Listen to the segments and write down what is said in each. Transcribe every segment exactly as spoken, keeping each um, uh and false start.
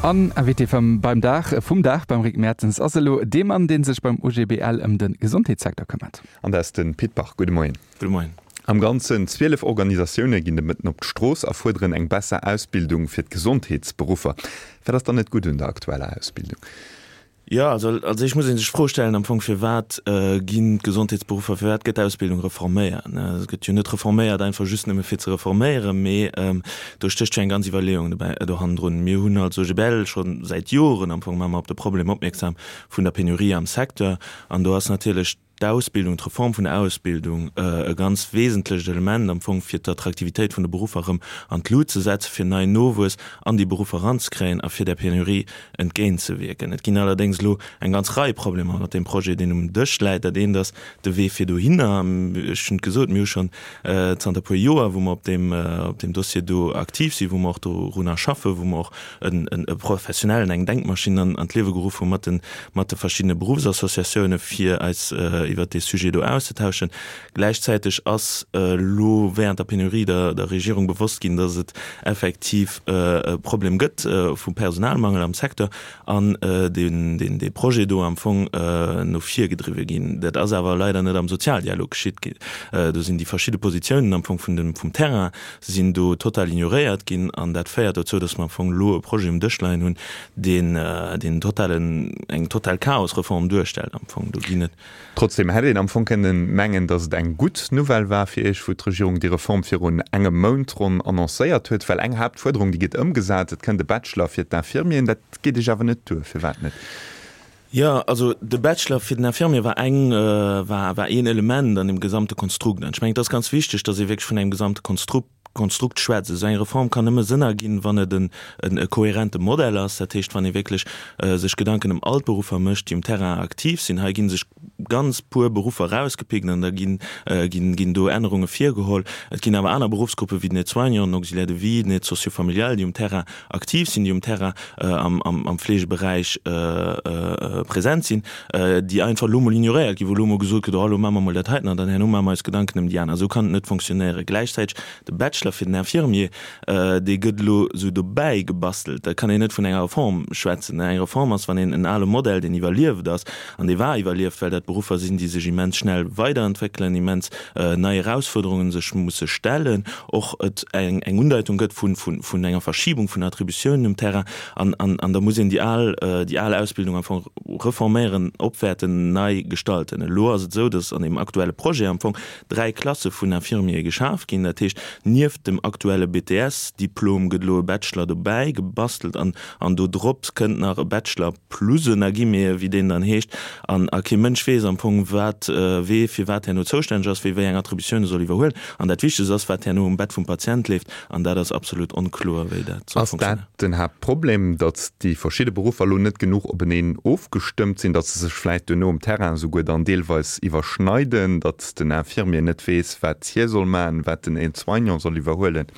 An Invité vum beim Dag vum Dag beim Rick Mertens ass elo dee Mann, dee sech beim OGBL ëm de Gesondheetssecteur këmmert. An dat ass de Pit Bach. Gudde Moien. Gudde Moien. Am Ganzen zwielef Organisatioune ginn de Mëtten op d'Strooss a fuerderen eng besser Ausbildung fir d'Gesondheetsberuffer. Wat ass dann net gutt un der aktueller Ausbildung? Jo, also als éischt muss ee sech d'Fro stellen am Fong, Firwat ginn d'Gesondheetsberuffer, firwat gëtt d'Ausbildung reforméiert? Et gëtt jo net reforméiert einfach just nëmme fir ze reforméieren, mee do stécht jo eng ganz Iwwerleeung dobäi, do hannendrun. Mir hunn als OGBL scho säit Joren am Fong maache mer op de Problem opmierksam vun der Penurie am Secteur an do ass natierlech d'Ausbildung, d'Reform vun der Ausbildung e ganz wesentlecht Element am Fong, fir d'Attraktivitéit vun de Beruffer erëm an d'Lut ze setzen, fir neien Nowuess an déi Beruffer eranzekréien a fir där Penurie entgéintzewierken. Et ginn allerdéngs elo eng ganz Rei Problemer mat deem Projet, deen um Dësch läit. Dat eent ass de Wee fir dohinner. Ech hunn et gesot, mir hu schonn zanter e puer Joer, wou mer op deem, op deem Dossier do aktiv sinn, wou mer och dorunner schaffen, wou mer och e Professionellen, eng Denkmaschinn an d'Liewe geruff hu mat de, mat de verschiddene Beruffsassociatioune fir eis iwwert dee Sujet do auszetauschen. Gläichzäiteg ass elo während der Penurie der der Regierung bewosst ginn, datt et effektiv e Problem gëtt vu Personalmangel am Secteur an deen deen dee Projet do am Fong no vir gedriwwe ginn. Dat ass awer leider net am Sozialdialog geschitt. Do sinn déi verschidde Positiounen am Fong vun dem vum Terrain sinn do total ignoréiert ginn an dat féiert dozou, datt mer am Fong elo e Projet um Dësch leien hunn, deen deen totalen eng total Chaosreform duerstellt am Fong. Do ginn et. Trotzdem hätt een am Fong kënnen mengen, datt et eng gutt Nouvelle war fir Iech, wou d'Regierung déi Reform virun engem Mount ronn annoncéiert huet, well eng Haaptfuerderung, déi gëtt ëmgesat, et kënnt e Bachelor fir d'Infirmieren. Dat geet Iech awer net duer. Firwat net? Jo, also de Bachelor fir den Infirmier war eng, war, war een Element an deem gesamte Konstrukt. An ech mengen, et ass ganz wichteg, datt ee wierklech vun engem gesamte Konstrukt, Konstrukt schwätzt. Esou eng Reform kann nëmme Sënn erginn, wann et en, en e kohärente Modell ass, dat heescht, wann ee wierklech sech Gedanken ëm all d'Beruffer mécht, déi um Terrain aktiv sinn. Hei gi sech ganz puer Beruffer erausgepickt an da ginn, ginn, ginn do Ännerunge virgeholl. Et ginn awer aner Beruffsgruppe wéi den Aide-soignant, den Auxiliaire de vie, den Aide socio-familial, déi um Terrain aktiv sinn, déi um Terrain am, am, am Fleegeberäich present sinn, déi einfach elo mol ignoréiert ginn, wou elo mol gesot gëtt, oh elo maache mer mol dat heiten an dann herno maache mer eis Gedanken ëm déi aner. Esou kann et net fonctionnéieren. Gläichzäiteg de Bachelor fir den Infirmier, dee gëtt elo esou dobäi gebastelt. Da kann een net vun enger Reform schwätzen. Eng Reform ass, wann een en ale Modell, deen iwwerlieft ass, an dee war iwwerlieft, well dat Beruffer sinn, déi sech immens schnell weiderentwéckelen, immens nei Erausfuerderunge sech musse stellen, och et eng eng Undeitung gëtt vun vun enger Verschibung vun Attributiounen um Terrain. An an an da muss een déi al déi al Ausbildung am Fong reforméieren, opwäerten, nei gestalten. Elo ass et esou, datt an deem aktuelle Projet am Fong dräi Klasse vun Infirmiere geschaf ginn. Dat heescht, nieft dem aktuelle B T S Diplom gëtt elo e Bachelor dobäi gebastelt an an do drop kënnt nach e Bachelor plus en guillemets, wéi deen dann heescht. An a kee Mënsch weess am Fong, wat wee fir wat herno zoustänneg ass, wee wéi eng Attributioune soll iwwerhuelen. An dat Wichtegst ass, wat herno um Bett vum Patient leeft. An dat ass absolut onkloer, wéi dat soll Ass dat funktionéieren. den Haaptproblem, datt déi verschidde Beruffer elo net genuch openeen ofgestëmmt sinn, datt se sech vläicht duerno um Terrain esouguer dann deelweis iwwerschneiden, datt den Infirmier net weess, wat hie soll maachen, wat den Aide-soignant soll iwwerhuelen?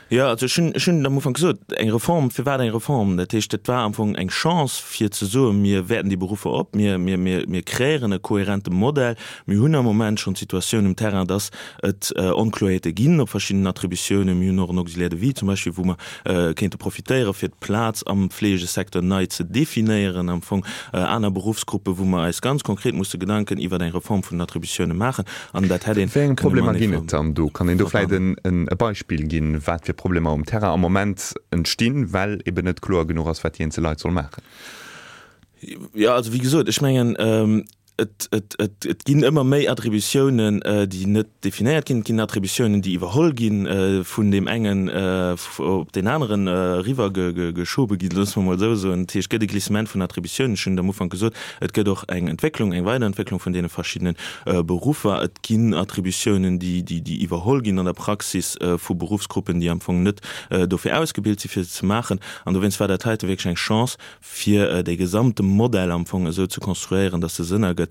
Jo, also ech hunn, ech hunn am Ufank gesot, eng Reform, firwat eng Reform? Dat heescht, et war am Fong eng Chance fir ze soen, mir wäerten déi Beruffer op, mir, mir, mir, mir kreéieren e kohärente Modell. Mir hunn am Moment schonn d'Situatioun um Terrain, dass et Onkloerheete ginn op verschiddenen Attributiounen. Mir hunn och en Auxiliaire de vie zum Beispill, wou mer kéinte profitéieren, fir d'Plaz am Fleegesecteur nei ze definéieren, am Fong aner Beruffsgruppen, wou mer eis ganz konkret musse Gedanken iwwer eng Reform vun den Attributiounen maachen. An dat hätt ee Wéi eng kënne Problemer matenee ginn et dann do? Kann een do vläicht verbannen. e Beispill ginn, wat fir Problemer um Terrain am Moment entstinn, well eben net kloer genuch ass, wat déi eenzel Leit solle maachen? Jo, also wéi gesot, ech mengen, et, et, et, et ginn ëmmer méi Attributiounen, déi net definéiert ginn. Et ginn Attributiounen, déi iwwerholl gi vun deem engen op deen aneren eriwwer geschobe ginn, loosse mer emol esou soen. Dat heescht, et gëtt e Glissement vun Attributiounen. Ech hunn et am Ufank gesot, et gëtt och eng Entwécklung, eng Weiderentwécklung vun deene verschiddene Beruffer. Et ginn Attributiounen, déi, déi, déi iwwerholl ginn an der Praxis vu Beruffsgruppen, déi am Fong net dofir ausgebilt si fir se ze maachen. An dowéinst war dat heite wierklech eng Chance, fir dee gesamte Modell am Fong esou ze konstruéieren, dass e Sënn ergëtt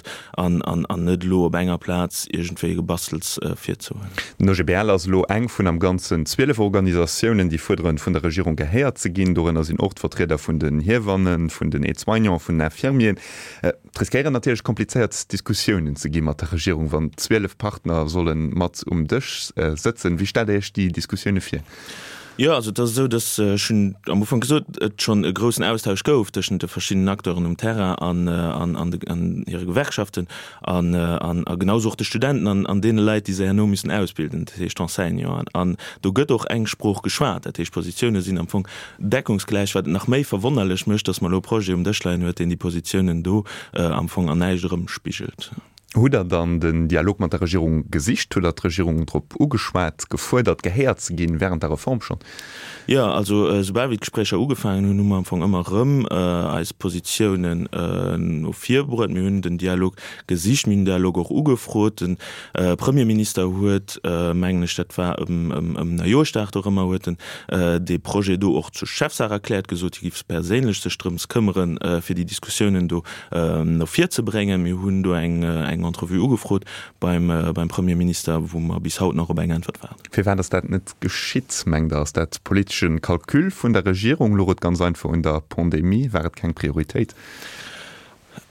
an an net elo op enger Plaz iergendwéi e Gebastels virzehuelen. Den O G B L ass elo eng vun am Ganzen zwielef Organisatiounen, déi fuerderen, vun der Regierung gehéiert ze ginn. Dorënner sinn och d'Vertrieder vun den Hiewannen, vun den Aide-soignants, vun den Infirmieren. Et riskéieren natierlech komplizéiert Diskussiounen ze gi mat der Regierung, wann zwielef Partner solle mat um Dësch sëtzen. Wéi stellt Der Iech déi Diskussioune vir? Jo, also et ass esou, datt, ech hunn am Ufank gesot, et schonn e groussen Austausch gouf tëschent de verschiddenen Acteuren um Terrain an an an hire Gewerkschaften an an a genau esou och de Studenten an an deene Leit, déi se herno müssen ausbilden, dat heescht d'Enseignanten. An do gëtt och eng Sprooch geschwat, dat heescht d'Positioune sinn am Fong deckungsgläich, wat et nach méi verwonnerlech mécht, datt mer elo e Projet um Dësch leien huet, deen déi Positiounen do am Fong an näischt erëmspigelt. Hutt Der dann den Dialog mat der Regierung gesicht? Hutt Der d'Regierung drop ugeschwat, gefuerdert, gehéiert ze ginn, während der Reform schonn? Jo, also esoubal wéi d'Gespréicher ugefaangen hunn, hu mer am Fong ëmmer erëm eis Positiounen no vir bruet. Mir hunn den Dialog gesicht, mir hunn den Dialog och ugefrot. De Premierminister huet, mengen ech, dat war ëm Neijoerschdag dorëmmer, huet en dee Projet do och zur Chefsaach erkläert, gesot, hie giff perséinlech sech drëms këmmeren, fir déi Diskussiounen do no vir ze bréngen. Mir hunn do eng Entrevue ugefrot beim Premierminister, wou mer bis haut nach op eng Äntwert waarden. Firwat ass dat net geschitt, mengt Der? Ass dat politesche Calcul vun der Regierung? Louch et ganz einfach un der Pandemie? War et keng Prioritéit?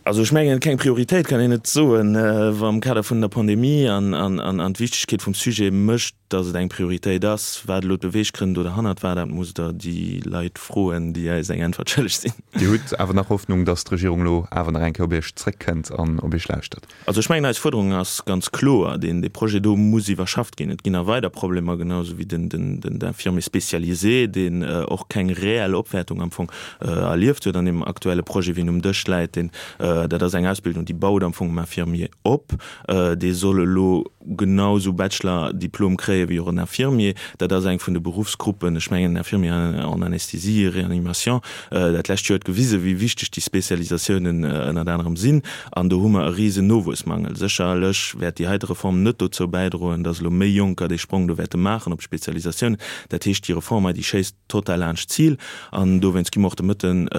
Also ech mengen, keng Prioritéit kann een net soen, wa am Kader vun der Pandemie an d'Wichtegkeet vum Sujet mécht, datt et eng Prioritéit ass. Wat elo d'Beweeggrënn do derhannert war, dat musst Der déi Leit froen, déi eis eng Äntwert schëlleg sinn. Dir hutt awer nach Hoffnung, datt d'Regierung elo awer nach eng Kéier op Iech zréckkënnt an op Iech lauschtert? Also ech mengen, eis Fuerderung ass ganz kloer, Deen Projet do muss iwwerschafft ginn. Et ginn nach weider Problemer, genau esou wéi den Infirmier spécialisé, deen och keng reell Opwäertung am Fong erlieft huet an deem aktuelle Projet, wéi en um Dësch läit. Deen, dat ass eng Ausbildung, déi baut am Fong um Infirmier op. Dee soll elo genau esou Bachelor-Diplom kréie wéi och en Infirmier. Dat ass eng vun de Beruffsgruppen, ech mengen en Infirmier en anesthésie et réanimation, dat lescht Joer huet gewisen, wéi wichteg déi Spécialisatiounen ënnert anerem sinn. An do hu mer e risen Nowuessmangel. Sécherlech wäert déi heite Reform net dozou bäidroen, datt elo méi Jonker dee Sprong do wäerte maachen op d'Spezialisatiounen. Dat heescht, déi Reform hei, déi schéisst total laanscht d'Zil. An dowéinst gi mer och de Mëtten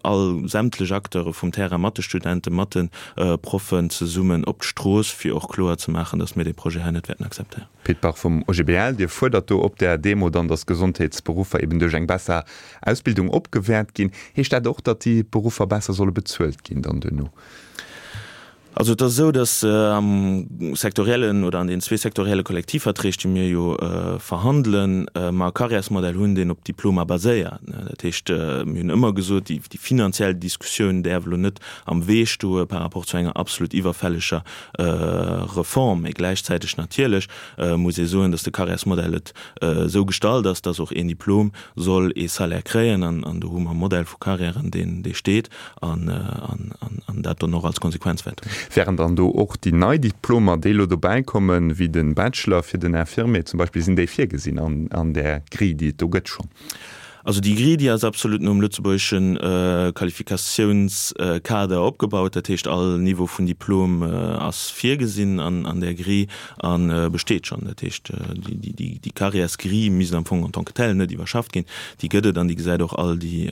all sämtlech Acteure vum Terrain mat de Studenten, mat de Proffen zesummen op d'Strooss, fir och kloer ze maachen, datt mir dee Projet hei net wäerten akzeptéieren. Pit Bach vum O G B L, Dir fuerdert do op där Demo dann, datt d'Gesondheetsberuffer eben duerch eng besser Ausbildung opgewäert ginn. Heescht dat och, datt déi Beruffer besser solle bezuelt ginn dann duerno? Also et ass esou, datt am sektoriellen oder an den zwee sektorielle Kollektivverträg, déi mir jo verhandelen, mer e Carrièresmodell hunn, deen op Diplomer baséiert. Dat heescht, mir hunn ëmmer gesot, déi finanziell Diskussioun däerf elo net am Wee stoe par rapport zu enger absolut iwwerfälleger Reform. Mee gläichzäiteg natierlech muss ee soen, datt de Carrièresmodell et esou gestalt ass, datt och een Diplom soll ee Salaire kréien. An do hu mer e Modell vu Carrièren, deen dee steet an dat dann och als Konsequenz wäert hunn. Wären dann do och déi nei Diplomer, déi elo dobäi kommen, wéi de Bachelor fir den Infirmier zum Beispill, sinn déi virgesinn an där Grille, déi et do gëtt schonn? Also déi Grille, déi ass absolut nom lëtzebuergesche Qualifikatiounskader opgebaut. Dat heescht, all Niveau vun Diplom ass virgesinn an där Grille a besteet schonn. Dat heescht, déi Carrièresgrille misst am Fong en tant que telle net iwwerschafft ginn. Déi gëtt et an déi gesäit och all déi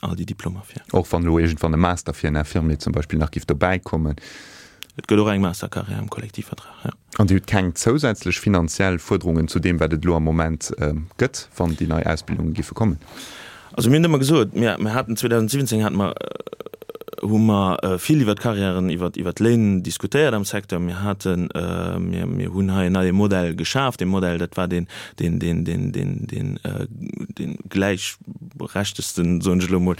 all déi Diplomer vir. Och wann elo iergendwann e Master fir en Infirmier zum Beispill nach giff dobäi kommen? Et gëtt och eng Mastercarrière am Kollektivvertrag, jo. An Dir hutt keng zousätzlech finanziell Fuerderungen zu deem, wat et elo am Moment gëtt, wann déi nei Ausbildunge giffe kommen? Also mir hunn ëmmer gesot, mir mir haten zweedausendsiwwenzéng hate mer, hu mer vill iwwert d'Carrièren, iwwert iwwert d'Léin diskutéiert am Secteur. Mir haten, mir mir hunn hei en neie Modell geschaf. Dee Modell, dat war deen deen deen deen deen deen dee gläichberechtegsten, soen ech elo emol,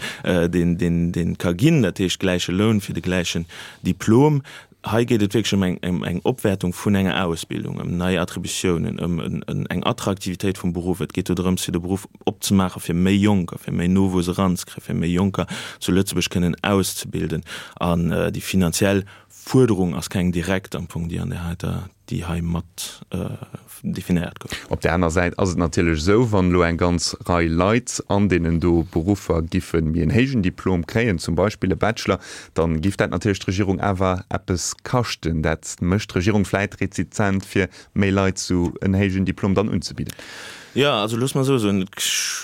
deen deen deen ka ginn, dat heescht gläiche Loun fir de gläichen Diplom. Hei geet et wierklech ëm eng eng Opwäertung vun enger Ausbildung, ëm nei Attributiounen, ëm eng Attraktivitéit vum Beruff. Et geet do drëms, fir de Beruff opzemaachen, fir méi Jonker, fir méi Nowuess eranzekréien, fir méi Jonker zu Lëtzebuerg kënnen auszebilden. An déi finanziell Fuerderung ass keng direkt am Fong, déi an där heiter, déi hei mat definéiert gouf. Op där aner Säit ass et natierlech esou, wann elo eng ganz Rei Leit an deenen do Beruffer giffe méi en héijen Diplom kréien, zum Beispill e Bachelor, da giff dat natierlech d'Regierung awer eppes kaschten. Dat mécht d'Regierung vläit rezizent, fir méi Leit esou en héijen Diplom dann unzebidden. Jo, also looss mer esou soen,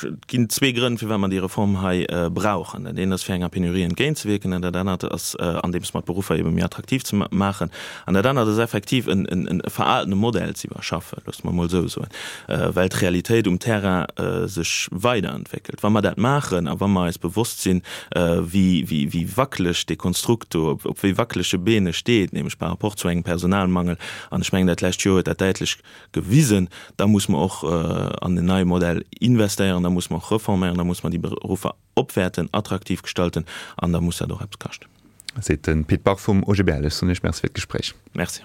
et ginn zwee Grënn, firwat mer déi Reform hei brauchen. Dat eent ass, fir enger Penurie entgéintzewierken, an dat anert ass, andeems mer d'Beruffer ebe méi attraktiv ze maachen. An dat anert ass effektiv, en veraltene Modell ze iwwerschaffen, loosst mer emol esou soen, well d'Realitéit um Terrain sech weiderentwéckelt. Wa mer dat maachen a wa mer eis bewosst sinn, wéi wackeleg dee Konstrukt do, op wéi wackelege Been e steet, nämlech par rapport zu engem Personalmangel, an ech mengen, dat lescht Joer huet dat däitlech gewisen, da muss mer och an en neie Modell investéieren, da muss mer och reforméieren, da muss mer déi Beruffer opwäerten, attraktiv gestalten an da muss dat och eppes kaschten. Seet de Pit Bach vum OGBL. Ech soen Iech Merci fir d'Gespréich. Merci.